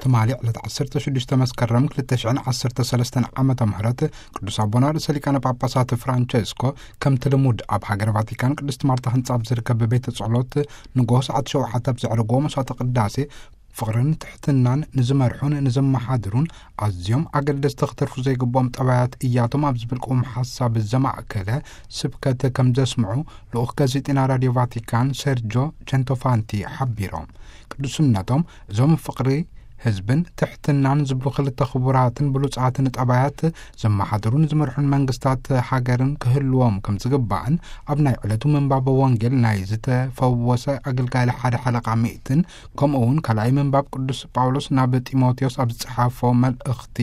ትማሊ ዕለት ዓሰርተ ሽዱሽተ መስከረም ክልተ ሽሕን ዓሰርተ ሰለስተን ዓመተ ምህረት ቅዱስ ኣቦና ርእሰ ሊቃነ ጳጳሳት ፍራንቸስኮ፣ ከምቲ ልሙድ ኣብ ሃገረ ቫቲካን ቅድስት ማርታ ህንጻ ኣብ ዝርከብ ቤተ ጸሎት ንጎሆ ሰዓት ሸውዓተ ኣብ ዘዕረግዎ መስዋዕተ ቅዳሴ፣ ፍቕርን ትሕትናን ንዝመርሑን ንዘመሓድሩን ኣዝዮም ኣገደስቲ ክትርፉ ዘይግብኦም ጠባያት እያቶም ኣብ ዝብል ቅውም ሓሳብ ዘማእከለ ስብከት ከም ዘስምዑ ልኡኽ ጋዜጠኛ ራድዮ ቫቲካን ሰርጆ ቸንቶፋንቲ ሓቢሮም። ቅዱስነቶም እዞም ፍቕሪ ህዝብን ትሕትናን ዝብሉ ክልተ ክቡራትን ብሉጻትን ጠባያት ዘመሓድሩን ዝመርሑን መንግስታት ሃገርን ክህልዎም ከም ዝግባእን ኣብ ናይ ዕለቱ ምንባብ ወንጌል ናይ ዝተፈወሰ ኣገልጋሊ ሓደ ሓለቓ ሚእትን ከምኡ እውን ካልኣይ ምንባብ ቅዱስ ጳውሎስ ናብ ጢሞቴዎስ ኣብ ዝጸሓፎ መልእኽቲ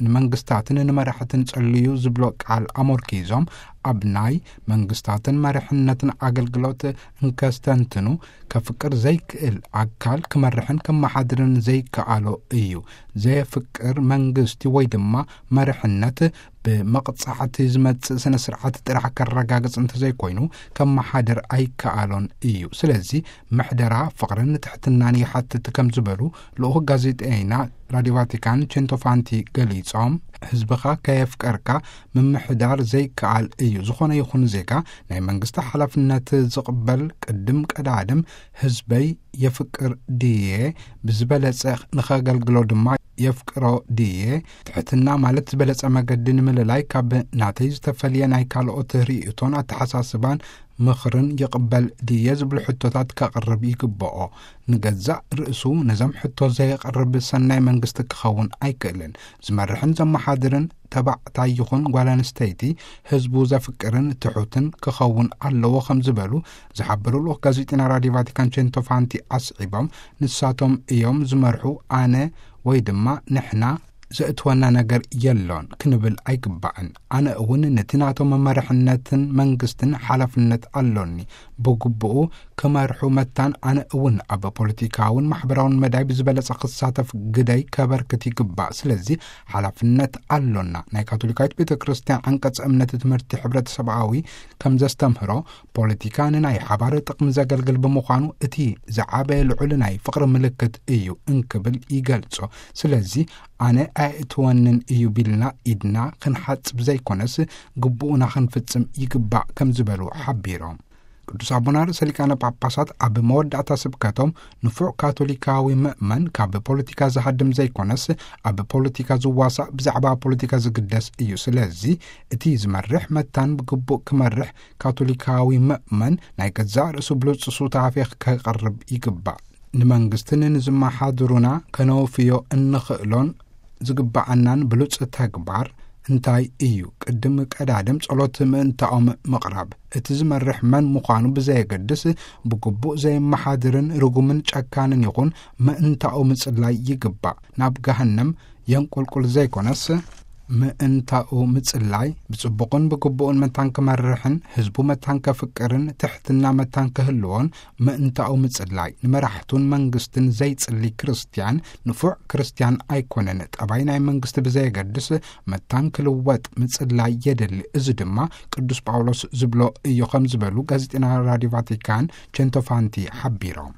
ንመንግስታትን ንመራሕትን ጸልዩ ዝብሎ ቃል ኣሞርኪዞም ኣብ ናይ መንግስታትን መሪሕነትን ኣገልግሎት እንከስተንትኑ ከፍቅር ዘይክእል ኣካል ክመርሕን ከመሓድርን ዘይከኣሎ እዩ። ዘየፍቅር መንግስቲ ወይ ድማ መሪሕነት ብመቕጻዕቲ ዝመጽእ ስነ ስርዓት ጥራሕ ከረጋግጽ እንተዘይኮይኑ ከመሓድር ኣይከኣሎን እዩ። ስለዚ ምሕደራ ፍቕርን ትሕትናን ይሓትት ከም ዝበሉ ልኡኽ ጋዜጠይና ራድዮ ቫቲካን ቼንቶፋንቲ ገሊጾም፣ ህዝብኻ ከየፍቀርካ ምምሕዳር ዘይከኣል እዩ። ዝኾነ ይኹን ዜጋ ናይ መንግስቲ ሓላፍነት ዝቕበል ቅድም ቀዳድም ህዝበይ የፍቅር ድየ ብዝበለጸ ንኸገልግሎ ድማ የፍቅሮ ድየ? ትሕትና ማለት ዝበለጸ መገዲ ንምልላይ ካብ ናተይ ዝተፈልየ ናይ ካልኦት ርእይቶን ኣተሓሳስባን ምኽርን ይቕበል ድየ ዝብሉ ሕቶታት ከቕርብ ይግብኦ። ንገዛእ ርእሱ ነዞም ሕቶ ዘየቕርብ ሰናይ መንግስቲ ክኸውን ኣይክእልን። ዝመርሕን ዘመሓድርን ተባዕታይ ይኹን ጓል ኣንስተይቲ ህዝቡ ዘፍቅርን ትሑትን ክኸውን ኣለዎ ከም ዝበሉ ዝሓበሩ ልኡኽ ጋዜጠኛ ራድዮ ቫቲካን ቼንቶፋንቲ ኣስዒቦም፣ ንሳቶም እዮም ዝመርሑ፣ ኣነ ወይ ድማ ንሕና ዘእትወና ነገር የሎን ክንብል ኣይግባእን። ኣነ እውን ነቲ ናቶም መመርሕነትን መንግስትን ሓላፍነት ኣሎኒ። ብግብኡ ክመርሑ መታን ኣነ እውን ኣብ ፖለቲካውን ማሕበራውን መዳይ ብዝበለጸ ክሳተፍ ግደይ ከበርክት ይግባእ። ስለዚ ሓላፍነት ኣሎና። ናይ ካቶሊካዊት ቤተ ክርስቲያን ዓንቀጽ እምነት ትምህርቲ ሕብረተሰብኣዊ ከም ዘስተምህሮ ፖለቲካ ንናይ ሓባር ጥቕሚ ዘገልግል ብምዃኑ እቲ ዝዓበየ ልዑል ናይ ፍቕሪ ምልክት እዩ እንክብል ይገልጾ። ስለዚ ኣነ ኣየእትወንን እዩ ቢልና ኢድና ክንሓጽብ ዘይኮነስ ግቡኡና ክንፍጽም ይግባእ ከም ዝበሉ ሓቢሮም። ቅዱስ ኣቦና ርእሰ ሊቃነ ጳጳሳት ኣብ መወዳእታ ስብከቶም ንፉዕ ካቶሊካዊ ምእመን ካብ ፖለቲካ ዝሃድም ዘይኮነስ ኣብ ፖለቲካ ዝዋሳእ ብዛዕባ ፖለቲካ ዝግደስ እዩ። ስለዚ እቲ ዝመርሕ መታን ብግቡእ ክመርሕ ካቶሊካዊ ምእመን ናይ ገዛእ ርእሱ ብሉጽ ሱታፌ ከቕርብ ይግባእ። ንመንግስትን ንዝመሓድሩና ከነውፍዮ እንኽእሎን ዝግብኣናን ብሉጽ ተግባር እንታይ እዩ? ቅድም ቀዳድም ጸሎት ምእንታኦም ምቕራብ። እቲ ዝመርሕ መን ምዃኑ ብዘየገድስ ብግቡእ ዘየመሓድርን ርጉምን ጨካንን ይኹን ምእንታኡ ምጽላይ ይግባእ። ናብ ገሃነም የንቁልቁል ዘይኮነስ ምእንታኡ ምጽላይ ብጽቡቕን ብግቡእን መታን ክመርሕን ህዝቡ መታን ከፍቅርን ትሕትና መታን ክህልዎን ምእንታኡ ምጽላይ። ንመራሕቱን መንግስትን ዘይጽሊ ክርስትያን ንፉዕ ክርስትያን ኣይኮነን። ጠባይ ናይ መንግስቲ ብዘየገድስ መታን ክልወጥ ምጽላይ የድሊ። እዚ ድማ ቅዱስ ጳውሎስ ዝብሎ እዩ ከም ዝበሉ ጋዜጠኛ ራድዮ ቫቲካን ቼንቶፋንቲ ሓቢሮም።